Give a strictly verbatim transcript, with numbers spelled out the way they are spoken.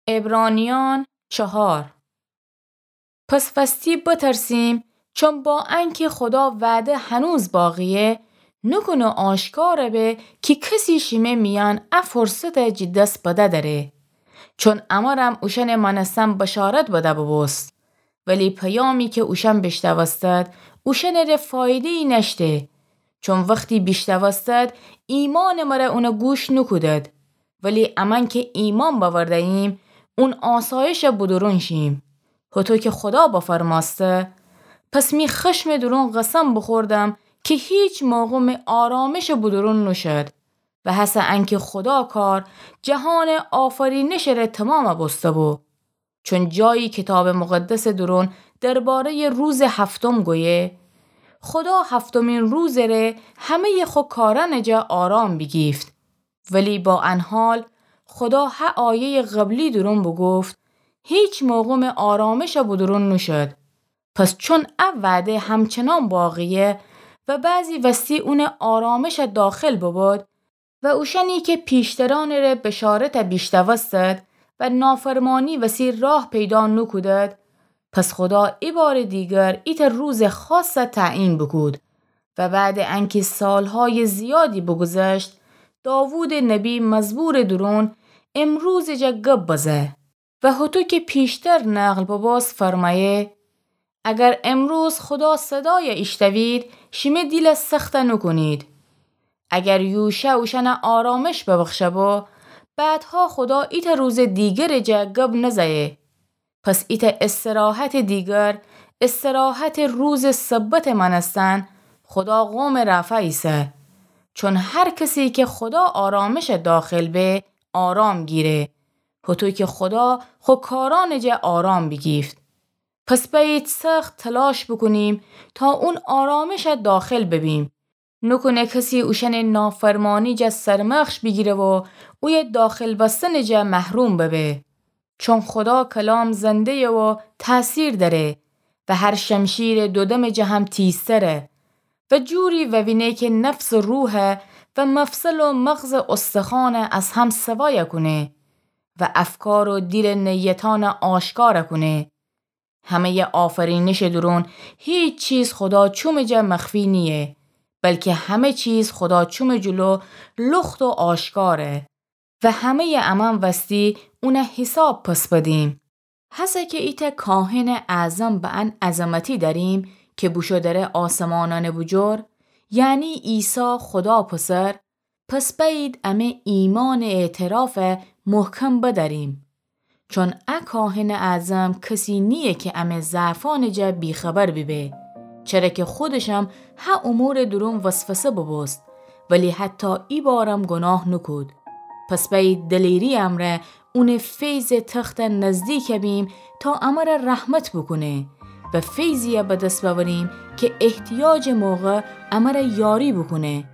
عبرانیان چهار. پس وستی بترسیم، چون با انکه خدا وعده هنوز باقیه، نوکونه آشکار به کی کسی شیمه میأن ا فرصت جی دس بده دره. چون امرم اوشأنٚ مأنستن بشارت بده ببوست. ولی پیامی که اوشأن بیشنوستد، اوشأنٚره فایده‌یی نأشته. چون وختی بیشنوستد، ایمانٚ مره اونه گوش نوکودد. ولی امأن که ایمأن بأورده‌ییم، اون آسایشٚ بودورون شیم. هوطو که خودا بفرمأسته، پس می خشمٚ دورون قسم بوخوردم که هیچ موقع می آرامشٚ بودورون نوشد. و هسه انکه خودا کار جهانٚ آفرینشٚ ره تومام بوسته‌بو. چون جایی کیتابٚ مقدسٚ دورون درباره‌یٚ روزٚ هفتم گویه، خودا هفتمین روزٚ ره همه‌یٚ خو کارأنٚ جا آرام بیگیفت. ولی با ان حال، خودا هه آیه‌یٚ قبلی دورون بوگفت، هیچ موقع می آرامشٚ بودورون نوشد. پس چون ا وعده همچنان باقیه و بعضی وستی اونٚ آرامشٚ داخل ببود، و اوشأنی که پیشترأنٚ ره بشارت بیشنوستد و نافرمانی وسی راه پیدا نوکودد، پس خودا ایبارٚ دیگر ایتأ روزٚ خاص تعیین بوکود و بعدٚ انکه سالهایٚ زیادی بوگوذشت، داوودٚ نبی مزبورٚ دورون امروزٚ جا گب بزه. و هوطو که پیشتر نقل ببوست فرمأیه، اگر امروز خودا صدای ایشتوید، شیمه دیل سخت نوکونید. اگر یوشع اوشأن آرامش ببخشه‌بو، بعدها خودا ایتأ روزٚ دیگرٚ جا گب نزه‌یه. پس ایتأ استراحتٚ دیگر، استراحتٚ روزٚ سبتٚ مأنستن، خودا قومٚ رأفا ایسه. چون هر کسی که خودا آرامش داخل به، آرام گیره. هوطو که خودا خو کارأنٚ جا آرام بیگیفت. پس بأیید سخت تلاش بوکونیم تا اون آرامش داخل ببیم. نوکونه کسی اوشأنٚ نافرمانی جا سرمخش بیگیره و اویه داخل بستنٚ جا محروم ببه. چون خودا کلام زنده‌یه و تأثیر دأره و هر شمشیرٚ دودمٚ جا هم تیزتره و جوری ووینه که نفس و روح و مفصل و مغز و استخوان از هم سوا کونه و افکار و دیلٚ نیتأن آشکار کونه. همه‌یٚ آفرینشٚ دورون هیچ چیز خودا چومٚ جا مخفی نییه، بلکه همه چیز خودا چومٚ جلو لخت و آشکاره و همه‌یٚ امأن وستی اون حساب پس بدیم. هسه که ایتأ کاهنٚ اعظم به ان عظمتی دأریم که بوشو دره آسمانأنٚ بوجور، یعنی عیسی خودا پسر، پس بأیید امه ایمانٚ اعترافٚ محکم بدأریم. چون ا کاهنٚ اعظم کسی نییه که امه ضعفأنٚ جا بی‌خبر بیبه، چره که خودشم هه امورٚ دورون وسوسه ببوست، ولی حتی ایبارم گناه نوکود. پس بأیید دلیری امرأ اونٚ فیضٚ تخت نزدیک بیم تا امر رحمت بوکونه و فیضی به دس بأوریم که احتیاجٚ موقع امر یاری بوکونه.